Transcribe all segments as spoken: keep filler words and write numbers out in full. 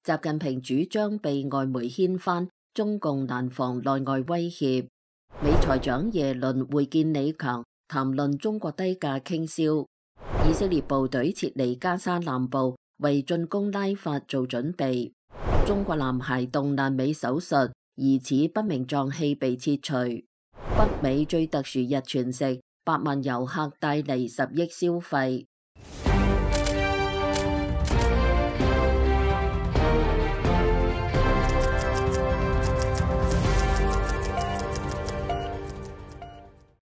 習近平主張被外媒掀翻，中共難防內外威脅。美財長耶倫會見李強，談論中國低價傾銷。以色列部隊撤離加沙南部，為進攻拉法做準備。中國男孩動闌尾手術，疑似不明臟器被切除。北美最特殊日全食，百萬遊客帶嚟十億消費。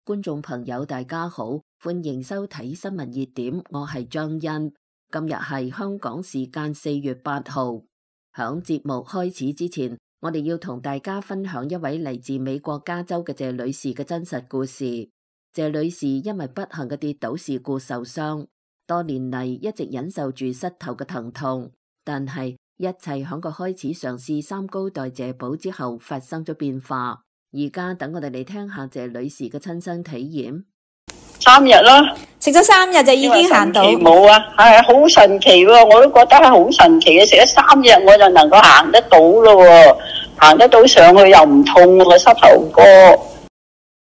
觀眾朋友大家好，歡迎收睇新聞熱點，我係張欣。今日係香港時間四月八號。響節目開始之前，我哋要同大家分享一位嚟自美國加州嘅謝女士嘅真實故事。謝女士因為不幸嘅跌倒事故受傷，多年嚟一直忍受住膝頭嘅疼痛，但係一切響佢開始嘗試三高代謝寶之後發生咗變化。而家等我哋嚟聽下謝女士嘅親身體驗。三日啦，食咗三日就已經行到。冇啊，係好神奇喎！我都覺得係好神奇嘅，食咗三日我就能夠行得到咯，行得到上去又唔痛個膝頭哥。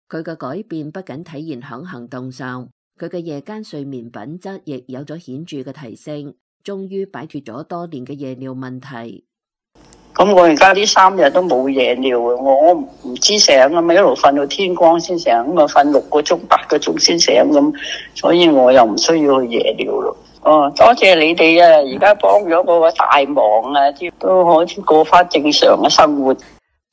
佢嘅改變不僅體現響行動上，佢嘅夜間睡眠品質亦有咗顯著嘅提升，終於擺脫咗多年嘅夜尿問題。咁我而家呢三日都冇夜尿啊！我唔知醒啊，咪一路瞓到天光先醒，咁啊瞓六個鐘、八個鐘先醒咁，所以我又唔需要去夜尿咯。哦，多謝你哋啊！而家幫咗我個大忙啊，都可以過翻正常嘅生活。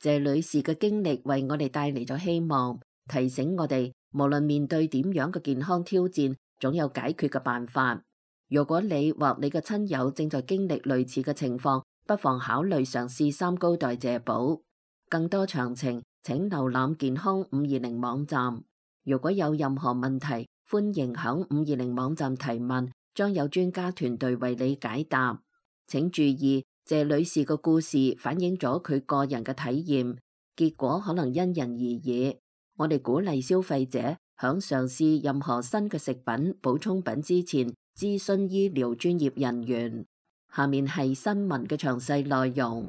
謝女士嘅經歷為我哋帶嚟咗希望，提醒我哋無論面對點樣嘅健康挑戰，總有解決嘅辦法。如果你或你嘅親友正在經歷類似嘅情況，不妨考慮嘗試三高代謝寶。更多詳情請瀏覽健康五二零網站。如果有任何問題，歡迎響五二零網站提問，將有專家團隊為你解答。請注意，謝女士嘅故事反映咗佢個人嘅體驗，結果可能因人而異。我哋鼓勵消費者響嘗試任何新嘅食品、補充品之前，諮詢醫療專業人員。下面係新聞嘅詳細內容。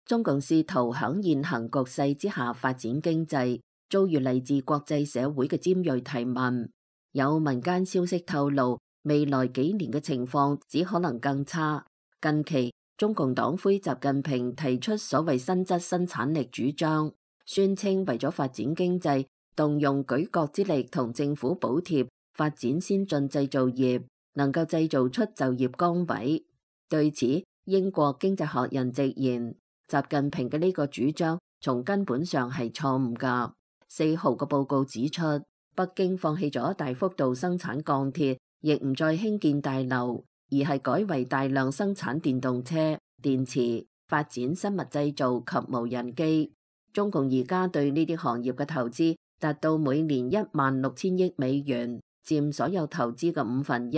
中共試圖響現行局勢之下發展經濟，遭遇嚟自國際社會嘅尖銳提問。有民間消息透露，未來幾年嘅情況只可能更差。近期，中共黨魁習近平提出所謂新質生產力主張，宣稱為咗發展經濟，動用舉國之力同政府補貼，發展先進製造業，能夠製造出就業崗位。對此，英國經濟學人直言，習近平嘅呢個主張從根本上係錯誤㗎。四號嘅報告指出，北京放棄咗大幅度生產鋼鐵，亦唔再興建大樓，而係改為大量生產電動車、電池，發展生物製造及無人機。中共而家對呢啲行業嘅投資達到每年一萬六千億美元，佔所有投資嘅五分一。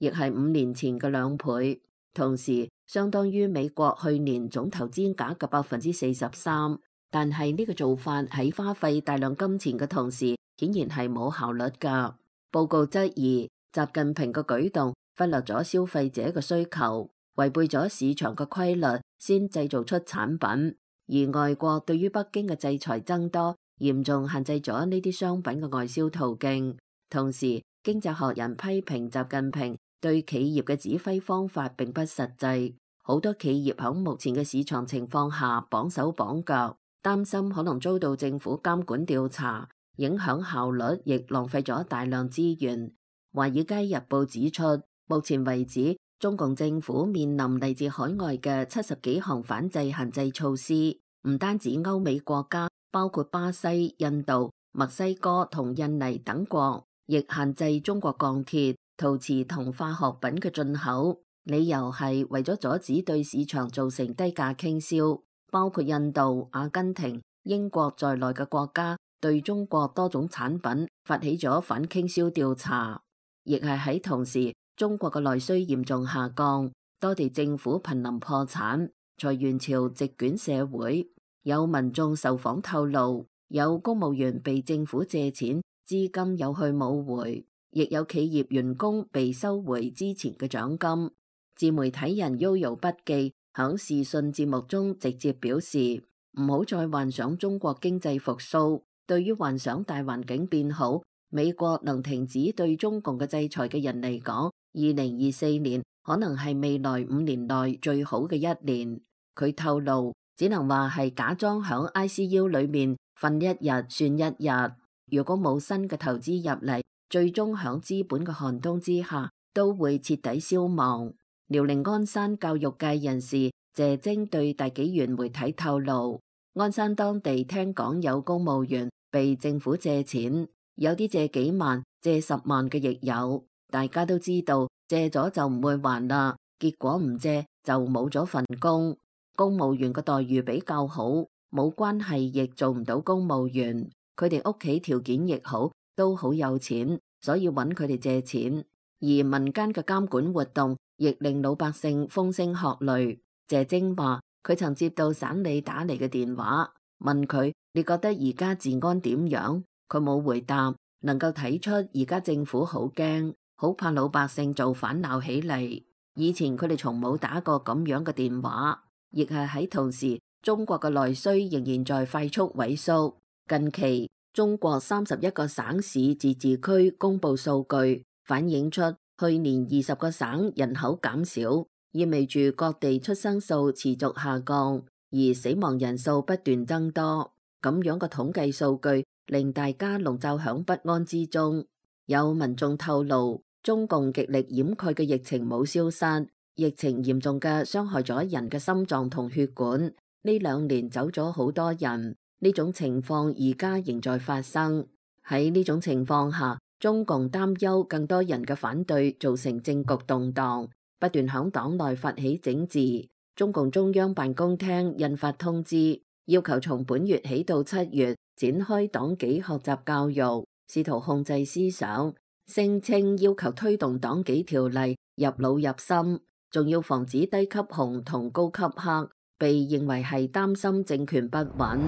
亦係五年前嘅兩倍，同時相當於美國去年總投資額嘅百分之四十三。但係呢個做法喺花費大量金錢嘅同時，顯然係冇效率噶。報告質疑習近平嘅舉動忽略咗消費者嘅需求，違背咗市場嘅規律，先製造出產品。而外國對於北京嘅制裁增多，嚴重限制咗呢啲商品嘅外銷途徑。同時，經濟學人批評習近平對企業嘅指揮方法並不實際，好多企業喺目前嘅市場情況下綁手綁腳，擔心可能遭到政府監管調查，影響效率，亦浪費咗大量資源。華爾街日報指出，目前為止，中共政府面臨嚟自海外嘅七十幾項反制限制措施，唔單止歐美國家，包括巴西、印度、墨西哥同印尼等國，亦限制中國鋼鐵、陶瓷同化學品嘅進口，理由係為咗阻止對市場造成低價傾銷。包括印度、阿根廷、英國在內嘅國家對中國多種產品發起咗反傾銷調查。亦係喺同時，中國嘅內需嚴重下降，多地政府瀕臨破產，裁員潮席捲社會。有民眾受訪透露，有公務員被政府借錢，資金有去冇回。亦有企業員工被收回之前嘅獎金。自媒體人 Yoyo 筆記響視訊節目中直接表示，唔好再幻想中國經濟復甦。對於幻想大環境變好，美國能停止對中共嘅制裁嘅人嚟講，二零二四年可能係未來五年內最好嘅一年。佢透露，只能話係假裝響 I C U 裏面瞓一日算一日。如果冇新嘅投資入嚟，最終響資本嘅寒冬之下，都會徹底消亡。遼寧鞍山教育界人士謝晶對大紀元媒體透露，鞍山當地聽講有公務員被政府借錢，有啲借幾萬、借十萬嘅亦有。大家都知道借咗就唔會還啦，結果唔借就冇咗份工。公務員嘅待遇比較好，冇關係亦做唔到公務員。佢哋屋企條件亦好，都好有錢，所以揾佢哋借錢。而民間嘅監管活動亦令老百姓風聲鶴唳。謝晶話佢曾接到省里打嚟嘅電話，問佢你覺得而家治安點樣？佢冇回答，能夠睇出而家政府好驚，好怕老百姓做反鬧起嚟。以前佢哋從冇打過咁樣嘅電話，亦係喺同時，中國嘅內需仍然在快速萎縮。近期中國三十一個省市自治區公布數據，反映出去年二十個省人口減少，意味住各地出生數持續下降，而死亡人數不斷增多。咁樣嘅統計數據令大家籠罩響不安之中。有民眾透露，中共極力掩蓋嘅疫情冇消失，疫情嚴重嘅傷害咗人嘅心臟同血管。呢兩年走咗好多人，呢種情況而家仍在發生。喺呢種情況下，中共擔憂更多人嘅反對造成政局動盪，不斷響黨內發起整治。中共中央辦公廳印發通知，要求從本月起到七月展開黨紀學習教育，試圖控制思想，聲稱要求推動黨紀條例入腦入心，仲要防止低級紅同高級黑，被認為係擔心政權不穩。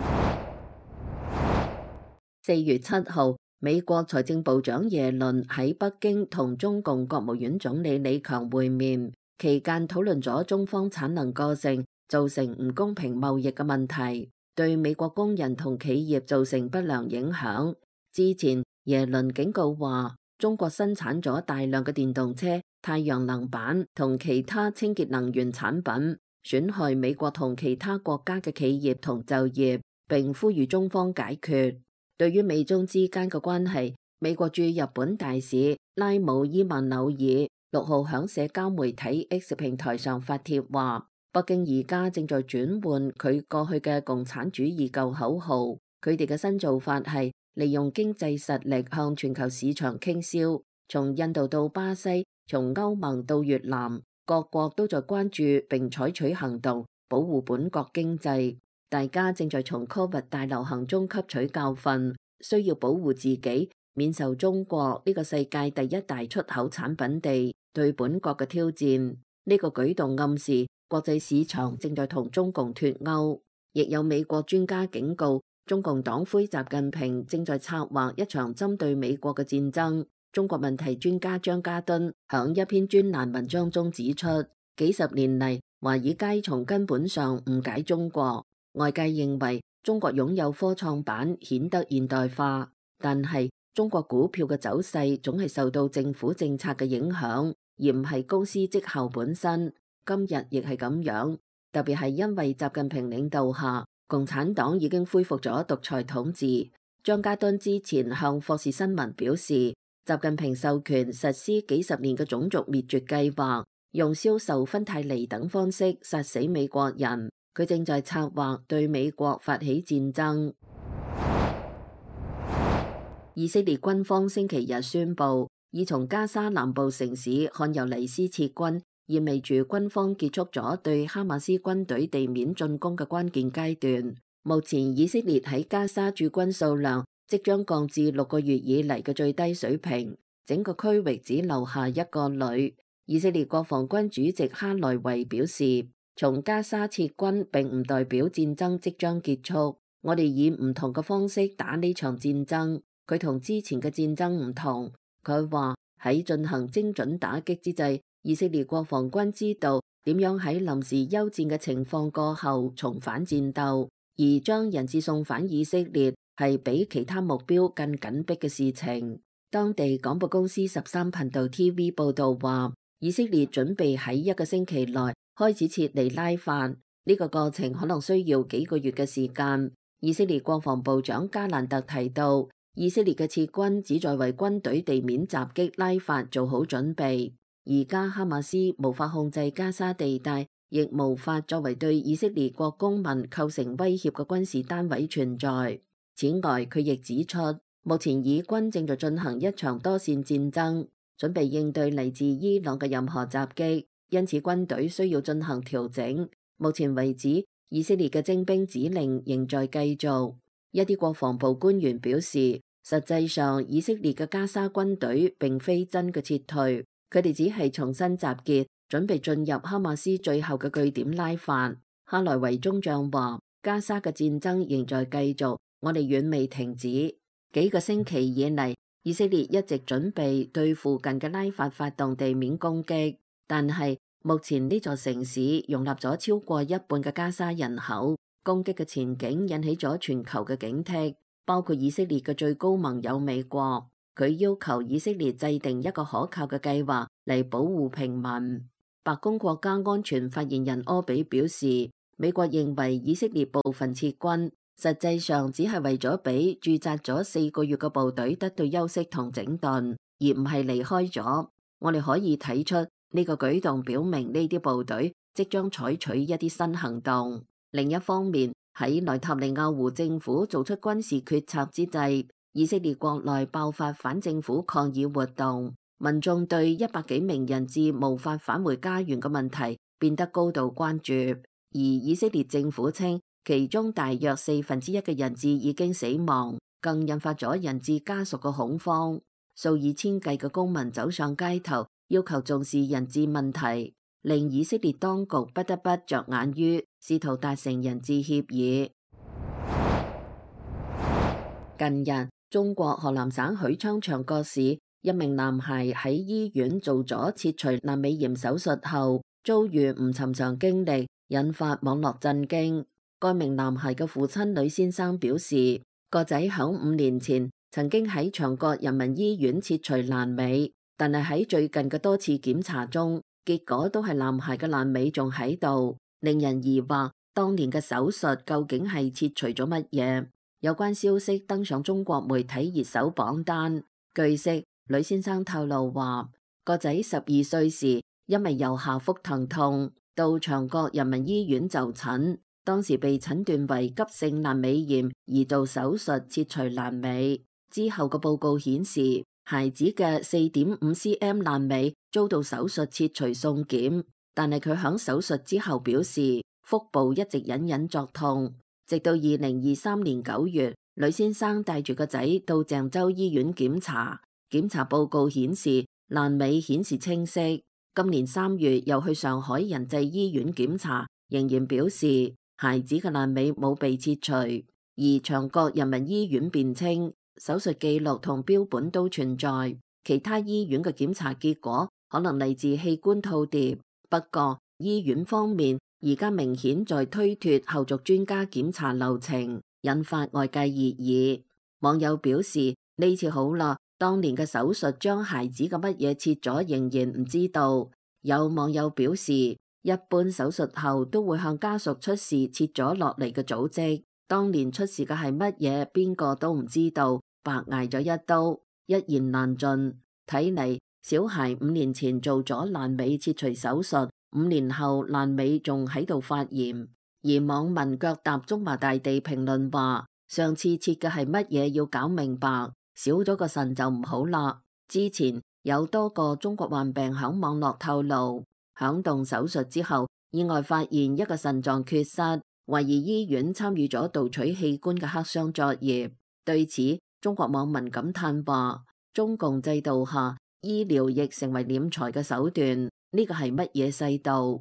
四月七號，美國財政部長耶倫喺北京同中共國務院總理李強會面，期間討論咗中方產能過剩造成唔公平貿易嘅問題，對美國工人同企業造成不良影響。之前耶倫警告話，中國生產咗大量嘅電動車、太陽能板同其他清潔能源產品，損害美國同其他國家嘅企業同就業，並呼籲中方解決。對於美中之間嘅關係，美國駐日本大使拉姆伊曼紐爾六號響社交媒體 X 平台上發帖話，北京而家正在轉換佢過去嘅共產主義舊口號，佢哋嘅新做法係利用經濟實力向全球市場傾銷，從印度到巴西，從歐盟到越南，各國都在關注並採取行動保護本國經濟。大家正在從 Covid 大流行中吸取教訓，需要保護自己，免受中國呢個世界第一大出口產品地對本國嘅挑戰。呢個舉動暗示國際市場正在同中共脫鈎。亦有美國專家警告，中共黨魁習近平正在策劃一場針對美國嘅戰爭。中國問題專家張家敦響一篇專欄文章中指出，幾十年嚟，華爾街從根本上誤解中國。外界認為中國擁有科創板顯得現代化，但係中國股票嘅走勢總係受到政府政策嘅影響，而唔係公司績效本身。今日亦係咁樣，特別係因為習近平領導下，共產黨已經恢復咗獨裁統治。張家敦之前向霍士新聞表示，習近平授權實施幾十年嘅種族滅絕計劃，用銷售芬太尼等方式殺死美國人。佢正在策劃對美國發起戰爭。以色列軍方星期日宣布，已從加沙南部城市漢尤尼斯撤軍，意味住軍方結束咗對哈馬斯軍隊地面進攻嘅關鍵階段。目前以色列喺加沙駐軍數量即將降至六個月以嚟嘅最低水平，整個區域只留下一個旅。以色列國防軍主席哈萊維表示，從加沙撤軍並唔代表戰爭即將結束，我哋以唔同嘅方式打呢場戰爭。佢同之前嘅戰爭唔同，佢話喺進行精準打擊之際，以色列國防軍知道點樣喺臨時休戰嘅情況過後重返戰鬥，而將人質送返以色列係比其他目標更緊迫嘅事情。當地廣播公司十三頻道 T V 報道話，以色列準備喺一個星期內開始撤離拉法，呢個過程可能需要幾個月嘅時間。以色列國防部長加蘭特提到，以色列嘅撤軍旨在為軍隊地面襲擊拉法做好準備。而家哈馬斯無法控制加沙地帶，亦無法作為對以色列國公民構成威脅嘅軍事單位存在。此外，佢亦指出，目前以軍正在進行一場多線戰爭，準備應對嚟自伊朗嘅任何襲擊，因此軍隊需要進行調整。目前為止，以色列嘅徵兵指令仍在繼續。一啲國防部官員表示，實際上以色列嘅加沙軍隊並非真嘅撤退，佢哋只係重新集結，準備進入哈馬斯最後嘅據點拉法。哈萊維中將話，加沙嘅戰爭仍在繼續，我哋遠未停止。幾個星期以嚟，以色列一直準備對附近嘅拉法發動地面攻擊，但係目前呢座城市容納咗超過一半嘅加沙人口，攻擊嘅前景引起咗全球嘅警惕，包括以色列嘅最高盟友美國。佢要求以色列制定一個可靠嘅計劃嚟保護平民。白宮國家安全發言人柯比表示，美國認為以色列部分撤軍實際上只係為咗俾駐紮咗四個月嘅部隊得到休息同整頓，而唔係離開咗。我哋可以睇出呢個舉動表明呢啲部隊即將採取一啲新行動。另一方面，喺內塔尼亞胡政府做出軍事決策之際，以色列國內爆發反政府抗議活動，民眾對一百幾名人質無法返回家園嘅問題變得高度關注，而以色列政府稱其中大約四分之一嘅人質已經死亡，更引發咗人質家屬嘅恐慌。數以千計嘅公民走上街頭，要求重視人質問題，令以色列當局不得不着眼於試圖達成人質協議。近日，中國河南省許昌長角市一名男孩喺醫院做咗切除闌尾炎手術後，遭遇唔尋常經歷，引發網絡震驚。該名男孩嘅父親呂先生表示，個仔響五年前曾經喺長角人民醫院切除闌尾，但係喺最近嘅多次檢查中，結果都係男孩嘅闌尾仲喺度，令人疑惑當年嘅手術究竟係切除咗乜嘢。有關消息登上中國媒體熱搜榜單。據悉，呂先生透露話，個仔十二歲時因為右下腹疼痛，到長角人民醫院就診。當時被診斷為急性闌尾炎，而做手術切除闌尾。之後嘅報告顯示，孩子嘅四點五 cm 闌尾遭到手術切除送檢，但係佢響手術之後表示，腹部一直隱隱作痛。直到二零二三年九月，呂先生帶住個仔到鄭州醫院檢查，檢查報告顯示闌尾顯示清晰。今年三月又去上海仁濟醫院檢查，仍然表示孩子嘅闌尾冇被切除，而長角人民醫院辯稱手術記錄同標本都存在，其他醫院嘅檢查結果可能嚟自器官套疊。不過醫院方面而家明顯在推脫後續專家檢查流程，引發外界熱議。網友表示，呢次好啦，當年嘅手術將孩子嘅乜嘢切咗仍然唔知道。有網友表示，一般手術後都會向家屬出示切咗落嚟嘅組織，當年出示嘅係乜嘢，邊個都唔知道，白挨咗一刀，一言難盡。睇嚟小孩五年前做咗闌尾切除手術，五年後闌尾仲喺度發炎。而網民腳踏中華大地評論話，上次切嘅係乜嘢要搞明白，少咗個腎就唔好啦。之前有多個中國患病響網絡透露，響動手術之後意外發現一個腎臟缺失，懷疑醫院參與咗盜取器官嘅黑箱作業。對此，中國網民感嘆話，中共制度下醫療亦成為斂財嘅手段，呢個係乜嘢世道？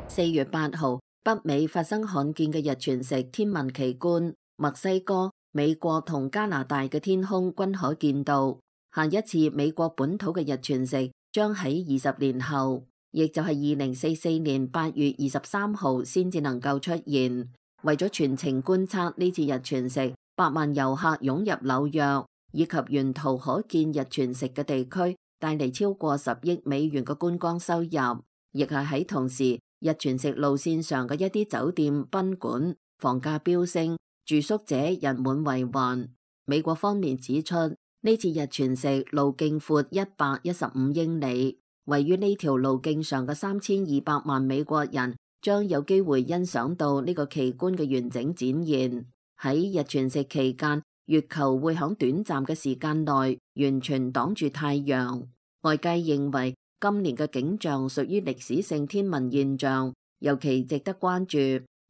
四月八號，北美發生罕見嘅日全食天文奇觀，墨西哥、美國同加拿大嘅天空均可見到。下一次美國本土嘅日全食將喺二十年後，亦就係二零四四年八月二十三號先至能夠出現。為咗全程觀察呢次日全食，百萬遊客湧入紐約以及沿途可見日全食嘅地區，帶嚟超過十億美元嘅觀光收入。亦係喺同時，日全食路線上嘅一啲酒店、賓館房價飆升，住宿者人滿為患。美國方面指出，呢次日全食路徑闊一百一十五英里，位於呢條路徑上嘅三千二百萬美國人將有機會欣賞到呢個奇觀嘅完整展現。喺日全食期間，月球會喺短暫嘅時間內完全擋住太陽。外界認為今年嘅景象屬於歷史性天文現象，尤其值得關注。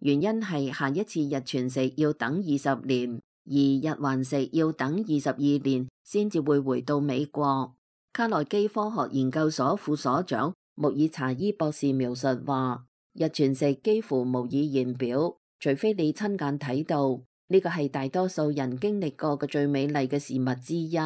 原因係下一次日全食要等二十年，而日環食要等二十二年先至會回到美國。卡內基科學研究所副所長穆爾查伊博士描述話，日全食幾乎無以言表，除非你親眼睇到，呢個係大多數人經歷過嘅最美麗嘅事物之一。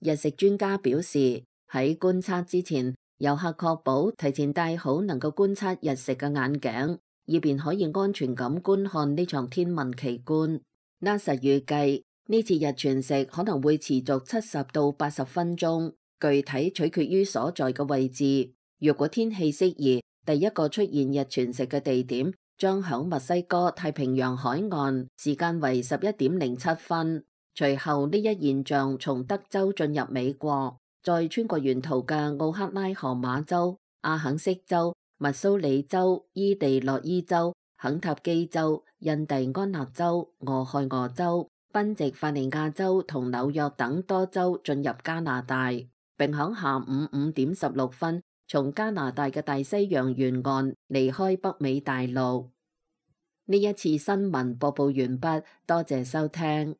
日食專家表示，喺觀察之前，遊客確保提前戴好能夠觀察日食嘅眼鏡，以便可以安全咁觀看呢場天文奇觀。NASA 預計呢次日全食可能會持續七十到八十分鐘，具體取決於所在嘅位置。如果天氣適宜，第一個出現日全食嘅地點將響墨西哥太平洋海岸，時間為十一點零七分。隨後呢一現象從德州進入美國，再穿過沿途嘅奧克拉荷馬州、阿肯色州、密蘇里州、伊利諾伊州、肯塔基州、印第安納州、俄亥俄州、賓夕法尼亞州同紐約等多州進入加拿大，並響下午五點十六分從加拿大嘅大西洋沿岸離開北美大陸。呢一次新聞播報完畢，多謝收聽。